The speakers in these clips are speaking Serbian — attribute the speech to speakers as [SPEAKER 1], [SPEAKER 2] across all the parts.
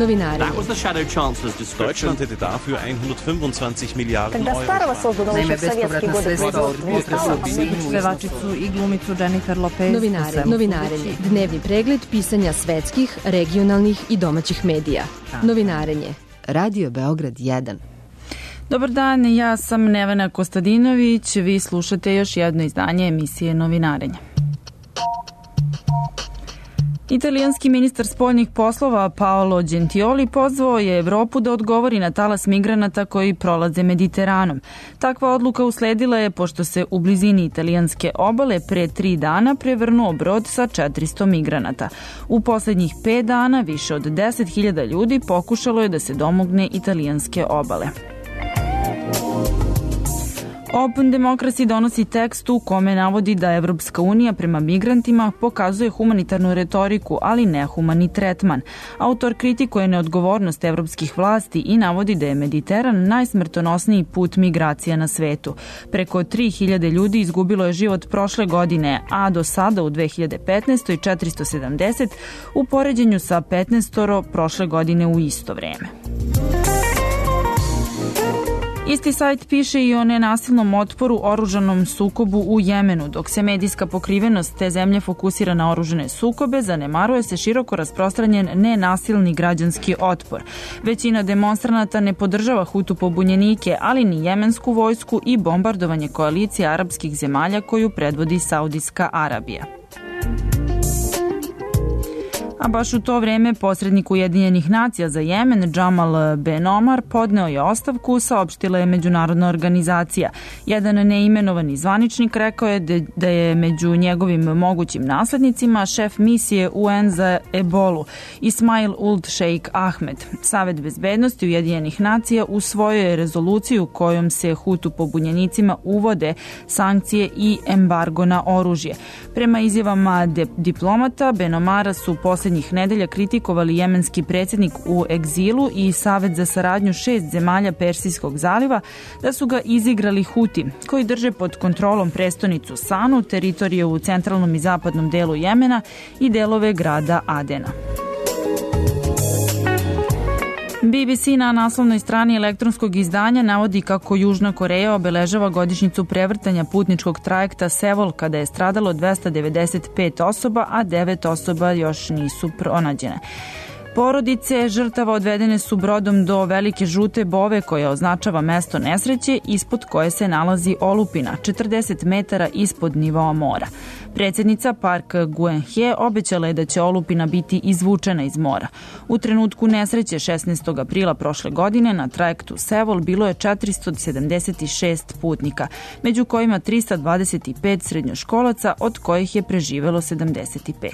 [SPEAKER 1] Novinari.
[SPEAKER 2] Deutschland hätte dafür 125 Milijarden Euro.
[SPEAKER 3] Naime, bespovratna sredstva od pevačicu i glumicu Jennifer Lopez.
[SPEAKER 1] Novinarenje. Dnevni pregled pisanja svetskih, regionalnih i domaćih medija. Novinarenje. Radio Beograd 1.
[SPEAKER 3] Dobar dan, ja sam Nevena Kostadinović. Vi slušate još jedno izdanje emisije Novinarenje. Italijanski ministar spoljnih poslova Paolo Gentiloni pozvao je Evropu da odgovori na talas migranata koji prolaze Mediteranom. Takva odluka usledila je pošto se u blizini italijanske obale pre 3 dana prevrnuo brod sa 400 migranata. U poslednjih 5 dana više od 10.000 ljudi pokušalo je da se domogne italijanske obale. Open Democracy donosi tekst u kome navodi da Evropska unija prema migrantima pokazuje humanitarnu retoriku, ali nehumani tretman. Autor kritikuje neodgovornost evropskih vlasti i navodi da je Mediteran najsmrtonosniji put migracija na svetu. Preko 3.000 ljudi izgubilo je život prošle godine, a do sada u 2015. 470 u poređenju sa 15 prošle godine u isto vreme. Isti sajt piše i o nenasilnom otporu oružanom sukobu u Jemenu. Dok se medijska pokrivenost te zemlje fokusira na oružane sukobe, zanemaruje se široko rasprostranjen nenasilni građanski otpor. Većina demonstranata ne podržava Hutu pobunjenike, ali ni jemensku vojsku i bombardovanje koalicije arapskih zemalja koju predvodi Saudijska Arabija. A baš u to vreme posrednik Ujedinjenih nacija za Jemen, Džamal Ben Omar, podneo je ostavku, saopštila je međunarodna organizacija. Jedan neimenovani zvaničnik rekao je da je među njegovim mogućim naslednicima šef misije UN za ebolu, Ismail Uld Sheikh Ahmed. Savet bezbednosti Ujedinjenih nacija usvojio je rezoluciju kojom se Hutu pobunjenicima uvode sankcije i embargo na oružje. Prema izjavama diplomata, Ben Omara su poslednjih nedelja kritikovali jemenski predsjednik u egzilu i Savet za saradnju 6 zemalja Persijskog zaliva da su ga izigrali Huti, koji drže pod kontrolom prestonicu Sanu, teritorije u centralnom i zapadnom delu Jemena i delove grada Adena. BBC na naslovnoj strani elektronskog izdanja navodi kako Južna Koreja obeležava godišnjicu prevrtanja putničkog trajekta Sevol kada je stradalo 295 osoba, a 9 osoba još nisu pronađene. Porodice žrtava odvedene su brodom do Velike žute bove koja označava mesto nesreće ispod koje se nalazi olupina, 40 metara ispod nivoa mora. Predsjednica Park Geun-hye obećala je da će olupina biti izvučena iz mora. U trenutku nesreće 16. aprila prošle godine na trajektu Sevol bilo je 476 putnika, među kojima 325 srednjoškolaca, od kojih je preživelo 75.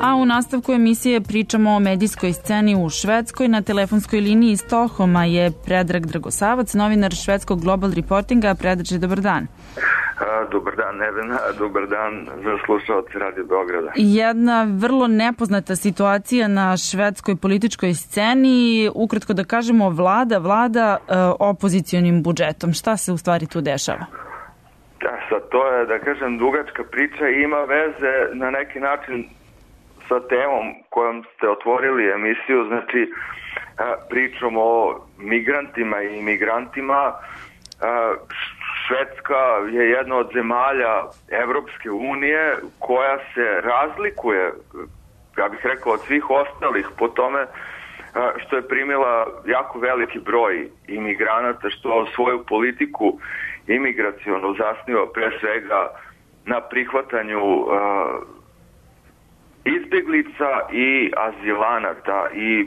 [SPEAKER 3] A u nastavku emisije pričamo o medijskoj sceni u Švedskoj. Na telefonskoj liniji iz Stokholma je Predrag Dragosavac, novinar švedskog Global Reportinga. Predrače, dobar dan.
[SPEAKER 4] Dobar dan, Nevena. Dobar dan za slušalce Radio Beograda.
[SPEAKER 3] Jedna vrlo nepoznata situacija na švedskoj političkoj sceni. Ukratko da kažemo, vlada opozicionim budžetom. Šta se u stvari tu dešava?
[SPEAKER 4] Da, sad to je, da kažem, dugačka priča i ima veze na neki način sa temom kojom ste otvorili emisiju, znači pričamo o migrantima i imigrantima. Švedska je jedna od zemalja Evropske unije koja se razlikuje, ja bih rekao, od svih ostalih po tome što je primila jako veliki broj imigranata, što svoju politiku imigracionu zasniva pre svega na prihvatanju izbjeglica i azilanata i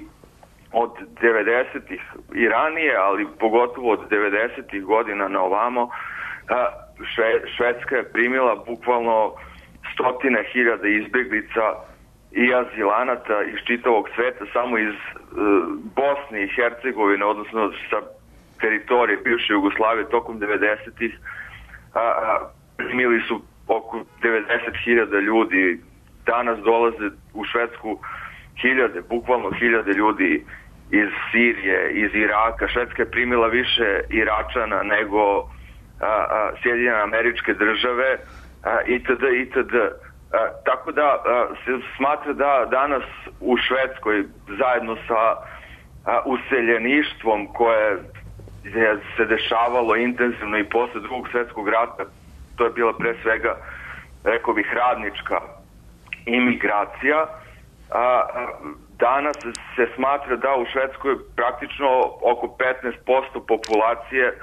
[SPEAKER 4] od 90-ih i ranije, ali pogotovo od 90-ih godina na ovamo, Švedska je primila bukvalno stotine hiljada izbjeglica i azilanata iz čitavog sveta, samo iz Bosne i Hercegovine, odnosno sa teritorije bivše Jugoslavije tokom 90-ih, primili su oko 90.000 ljudi. Danas dolaze u Švedsku bukvalno hiljade ljudi iz Sirije, iz Iraka. Švedska je primila više Iračana nego Sjedinjene Američke Države, itd. Tako da se smatra da danas u Švedskoj zajedno sa useljeništvom koje se dešavalo intenzivno i posle Drugog svjetskog rata, to je bila pre svega, rekao bih, radnička imigracija. Danas se smatra da u Švedskoj praktično oko 15% populacije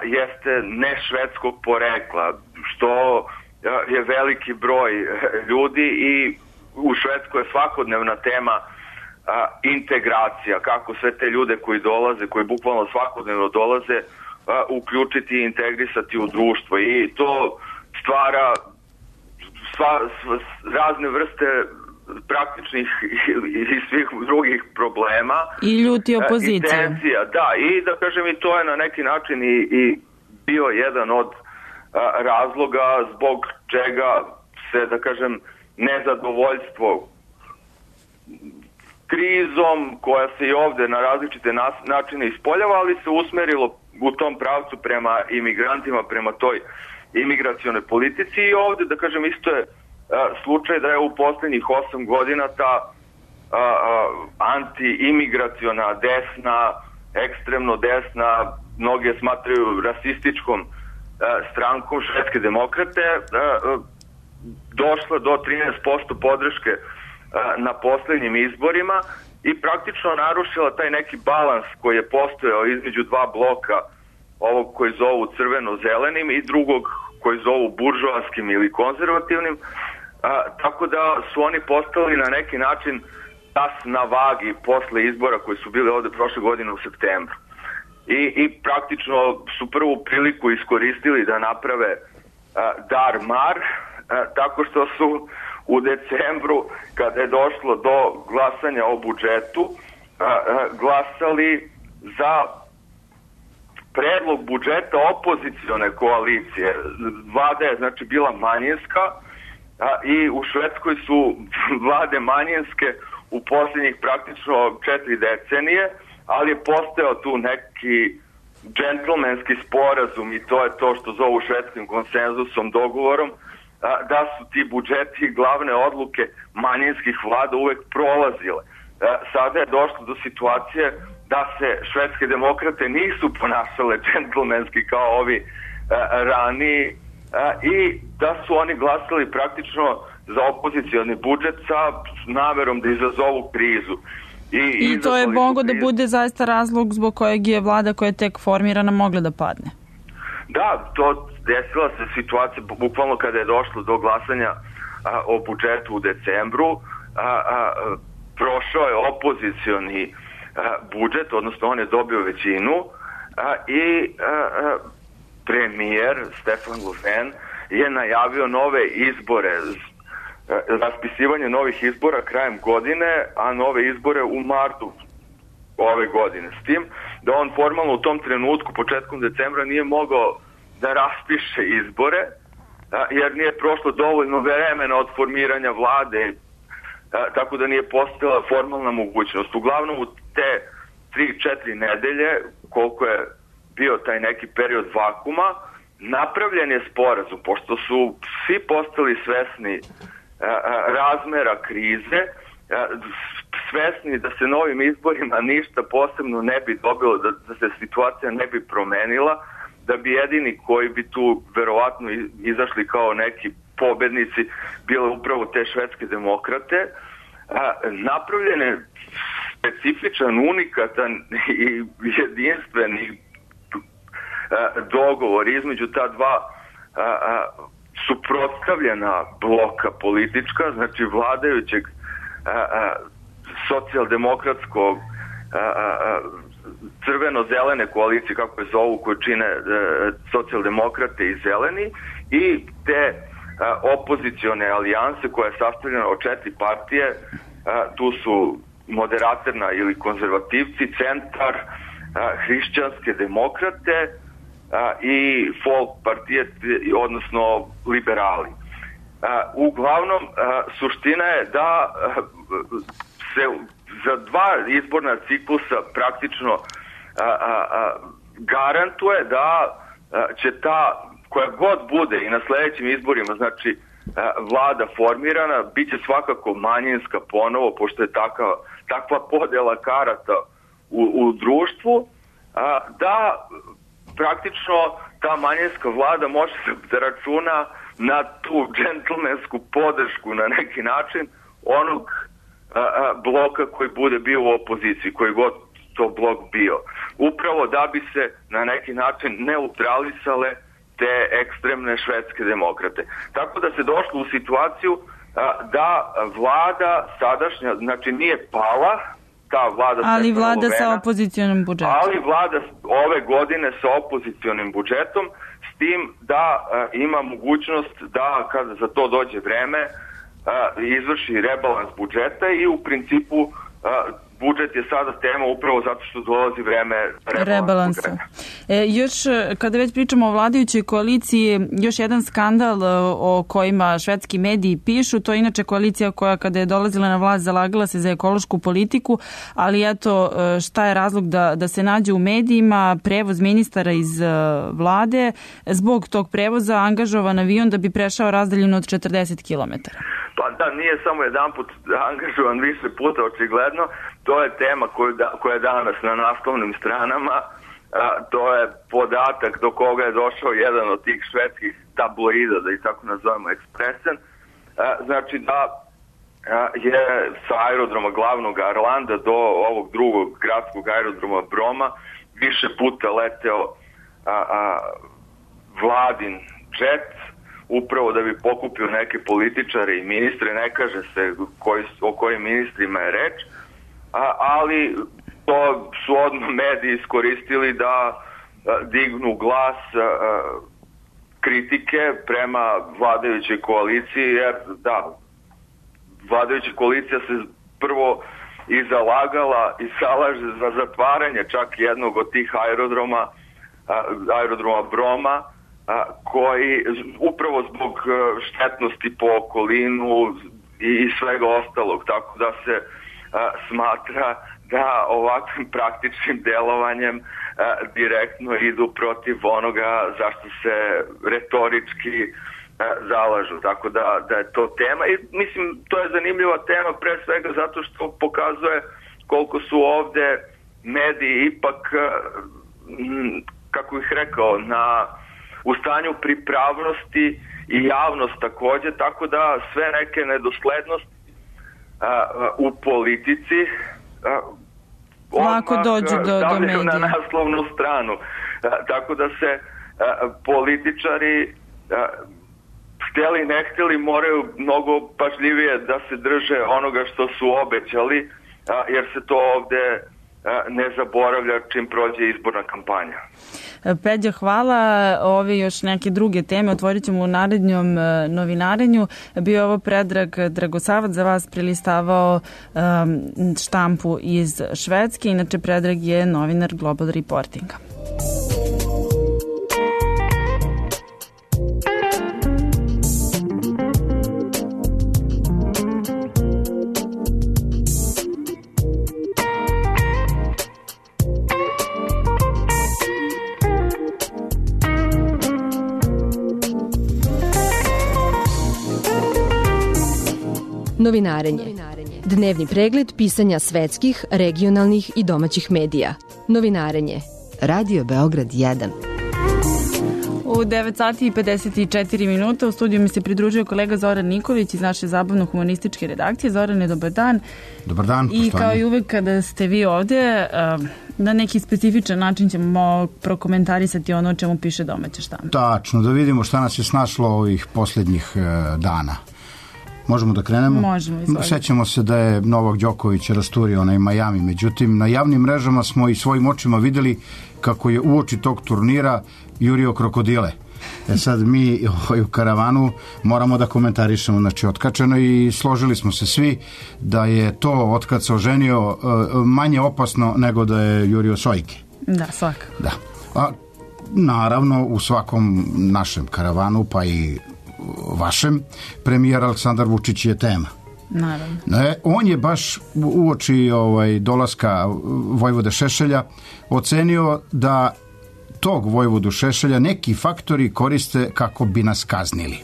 [SPEAKER 4] jeste ne švedskog porekla, što je veliki broj ljudi i u Švedskoj je svakodnevna tema integracija, kako sve te ljude koji dolaze, koji bukvalno svakodnevno dolaze, uključiti i integrisati u društvo i to stvara razne vrste praktičnih i svih drugih problema.
[SPEAKER 3] I ljuti opozicije.
[SPEAKER 4] I tenzija, da, i da kažem i to je na neki način i bio jedan od razloga zbog čega se, da kažem, nezadovoljstvo krizom koja se i ovde na različite načine ispoljava, ali se usmerilo u tom pravcu prema imigrantima, prema toj imigracionoj politici i ovde, da kažem, isto je slučaj da je u poslednjih 8 godina ta anti-imigraciona desna, ekstremno desna, mnoge smatraju rasističkom strankom Švedske demokrate, došla do 13% podrške na poslednjim izborima i praktično narušila taj neki balans koji je postojao između dva bloka, ovog koji zovu crveno-zelenim i drugog koji zovu buržoaskim ili konzervativnim, tako da su oni postali na neki način tas na vagi posle izbora koji su bili ovde prošle godine u septembru. I praktično su prvu priliku iskoristili da naprave dar-mar, tako što su u decembru, kada je došlo do glasanja o budžetu, glasali za predlog budžeta opozicione koalicije. Vlada je znači bila manjinska i u Švedskoj su vlade manjinske u posljednjih praktično 4 decenije, ali je postojao tu neki džentlmenski sporazum i to je to što zovu švedskim konsenzusom, dogovorom, da su ti budžeti i glavne odluke manjinskih vlada uvek prolazile. Sada je došlo do situacije da se švedske demokrate nisu ponašale džentlmenski kao ovi raniji i da su oni glasali praktično za opozicioni budžet sa namerom da izazovu krizu.
[SPEAKER 3] I to je mogo da bude zaista razlog zbog kojeg je vlada koja je tek formirana mogla da padne.
[SPEAKER 4] Da, to desila se situacija bukvalno kada je došlo do glasanja o budžetu u decembru. Prošao je opozicioni budžet, odnosno on je dobio većinu i premijer Stefan Löfven je najavio nove izbore, raspisivanje novih izbora krajem godine, a nove izbore u martu ove godine. S tim da on formalno u tom trenutku, početkom decembra, nije mogao da raspiše izbore, jer nije prošlo dovoljno vremena od formiranja vlade, tako da nije postojala formalna mogućnost. Uglavnom u te 3-4 nedelje, koliko je bio taj neki period vakuma, napravljen je sporazum, pošto su svi postali svesni razmera krize, svesni da se novim izborima ništa posebno ne bi dobilo, da se situacija ne bi promenila, da bi jedini koji bi tu verovatno izašli kao neki pobednici bile upravo te švedske demokrate. Napravljen je specifičan, unikatan i jedinstveni dogovor između ta dva suprotstavljena bloka politička, znači vladajućeg socijaldemokratskog crveno-zelene koalicije, kako je zovu, koju čine socijaldemokrate i zeleni, i te opozicione alijanse koja je sastavljena od 4 partije. Tu su moderaterna ili konzervativci, centar, hrišćanske demokrate i folk partije, odnosno liberali. Uglavnom, suština je da se za 2 izborna ciklusa praktično garantuje da će ta, koja god bude i na sledećim izborima, znači vlada formirana, bit će svakako manjinska ponovo, pošto je takva podjela karata u društvu, da praktično ta manjinska vlada može da računa na tu džentlmensku podršku na neki način onog bloka koji bude bio u opoziciji, koji god to blok bio. Upravo da bi se na neki način neutralisale te ekstremne švedske demokrate. Tako da se došlo u situaciju da vlada sadašnja, znači nije pala, ta vlada...
[SPEAKER 3] Ali vlada sa opozicionim budžetom. Ali
[SPEAKER 4] vlada ove godine sa opozicionim budžetom, s tim da ima mogućnost da kada za to dođe vreme izvrši rebalans budžeta i u principu budžet je sada tema upravo zato što dolazi vreme rebalansa.
[SPEAKER 3] Još kada već pričamo o vladajućoj koaliciji, još jedan skandal o kojima švedski mediji pišu, to je inače koalicija koja kada je dolazila na vlast zalagala se za ekološku politiku, ali eto šta je razlog da se nađe u medijima, prevoz ministara iz vlade, zbog tog prevoza angažovan avion da bi prešao razdaljinu od 40 km.
[SPEAKER 4] Pa da, nije samo jedan put angažovan, više puta očigledno. To je tema koja je danas na naslovnim stranama. To je podatak do koga je došao jedan od tih švedskih tabloida, da ih tako nazovemo, Expressen. Znači da je sa aerodroma glavnog Arlanda do ovog drugog gradskog aerodroma Broma više puta leteo vladin džet, upravo da bi pokupio neke političare i ministre, ne kaže se o kojim ministrima je reč, ali to su odmah mediji iskoristili da dignu glas kritike prema vladajućoj koaliciji, jer da, vladajuća koalicija se prvo i zalagala i zalaže za zatvaranje čak jednog od tih aerodroma Broma, koji upravo zbog štetnosti po okolinu i svega ostalog, tako da se smatra da ovakvim praktičnim delovanjem direktno idu protiv onoga zašto se retorički zalažu, tako da je to tema i mislim to je zanimljiva tema pre svega zato što pokazuje koliko su ovde mediji ipak, kako bih rekao, u stanju pripravnosti i javnost takođe, tako da sve neke nedoslednosti u politici
[SPEAKER 3] lako dođu do medija.
[SPEAKER 4] Na naslovnu stranu. Tako da se političari hteli ne hteli moraju mnogo pažljivije da se drže onoga što su obećali, jer se to ovde ne zaboravlja čim prođe izborna kampanja.
[SPEAKER 3] Peđa, hvala. Ove još neke druge teme otvorit ćemo u narednom novinarenju. Bio je ovo Predrag Dragosavac, za vas prilistavao štampu iz Švedske. Inače, Predrag je novinar Global Reportinga.
[SPEAKER 1] Novinarenje. Dnevni pregled pisanja svetskih, regionalnih i domaćih medija. Novinarenje. Radio Beograd 1.
[SPEAKER 3] U 9 sati i 54 minuta u studiju mi se pridružio kolega Zoran Nikolić iz naše zabavno-humanističke redakcije. Zorane, dobar dan.
[SPEAKER 5] Dobar dan.
[SPEAKER 3] I kao i uvek kada ste vi ovde, na neki specifičan način ćemo prokomentarisati ono o čemu piše domaća štampa.
[SPEAKER 5] Tačno, da vidimo šta nas je snašlo ovih posljednjih dana. Možemo da krenemo?
[SPEAKER 3] Možemo, izvolite.
[SPEAKER 5] Sećamo se da je Novak Đoković rasturio onaj Miami, međutim na javnim mrežama smo i svojim očima videli kako je uoči tog turnira jurio krokodile. Sad mi u karavanu moramo da komentarišemo, znači otkačeno, i složili smo se svi da je to otkad se oženio manje opasno nego da je jurio sojke.
[SPEAKER 3] Da, svakako.
[SPEAKER 5] Da. A naravno u svakom našem karavanu, pa i vašem, premijer Aleksandar Vučić je tema.
[SPEAKER 3] Naravno.
[SPEAKER 5] On je baš uoči dolaska Vojvode Šešelja ocenio da tog Vojvodu Šešelja neki faktori koriste kako bi nas kaznili.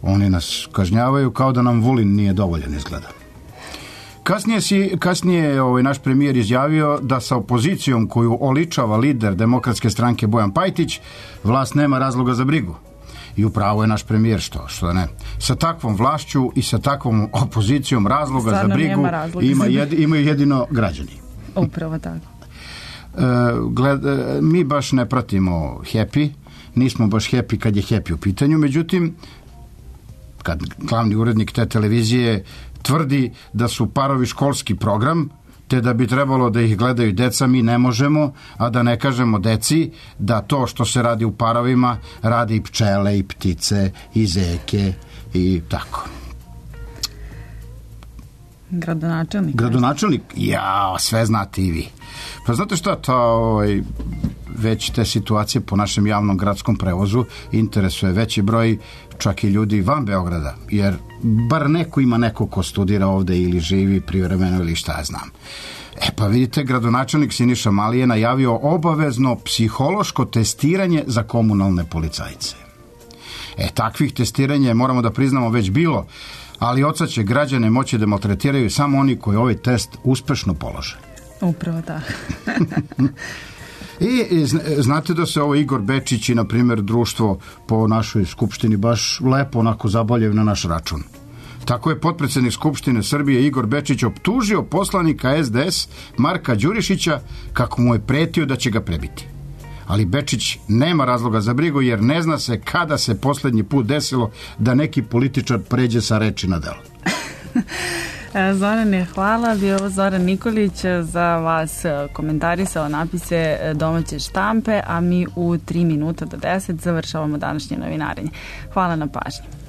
[SPEAKER 5] Oni nas kažnjavaju kao da nam Vulin nije dovoljan, izgleda. Kasnije je naš premijer izjavio da sa opozicijom koju oličava lider Demokratske stranke Bojan Pajtić, vlast nema razloga za brigu. I upravo je naš premijer, što ne. Sa takvom vlašću i sa takvom opozicijom razloga za brigu imaju jedino građani.
[SPEAKER 3] Upravo tako.
[SPEAKER 5] Mi baš ne pratimo Happy, nismo baš happy kad je Happy u pitanju, međutim, kad glavni urednik te televizije tvrdi da su parovi školski program, te da bi trebalo da ih gledaju deca, mi ne možemo, a da ne kažemo deci da to što se radi u parovima radi i pčele, i ptice, i zeke, i tako. Gradonačelnik? Ja, sve znate i vi. Pa znate šta, već te situacije po našem javnom gradskom prevozu interesuje veći broj čak i ljudi van Beograda, jer bar neko ima neko ko studira ovde ili živi privremeno ili šta ja znam. Pa vidite, gradonačelnik Siniša Mali je najavio obavezno psihološko testiranje za komunalne policajce. Takvih testiranja, moramo da priznamo, već bilo, ali od sad će građane moći da maltretiraju samo oni koji ovaj test uspešno polože.
[SPEAKER 3] Upravo tako.
[SPEAKER 5] I znate da se ovo Igor Bečić i, na primjer, društvo po našoj skupštini baš lepo onako zabavljaju na naš račun. Tako je potpredsednik Skupštine Srbije Igor Bečić optužio poslanika SDS Marka Đurišića kako mu je pretio da će ga prebiti. Ali Bečić nema razloga za brigu, jer ne zna se kada se poslednji put desilo da neki političar pređe sa reči na delo.
[SPEAKER 3] Zorane, hvala. Bio ovo Zoran Nikolić, za vas komentarisao napise domaće štampe, a mi u 3 minuta do 10 završavamo današnje novinarenje. Hvala na pažnji.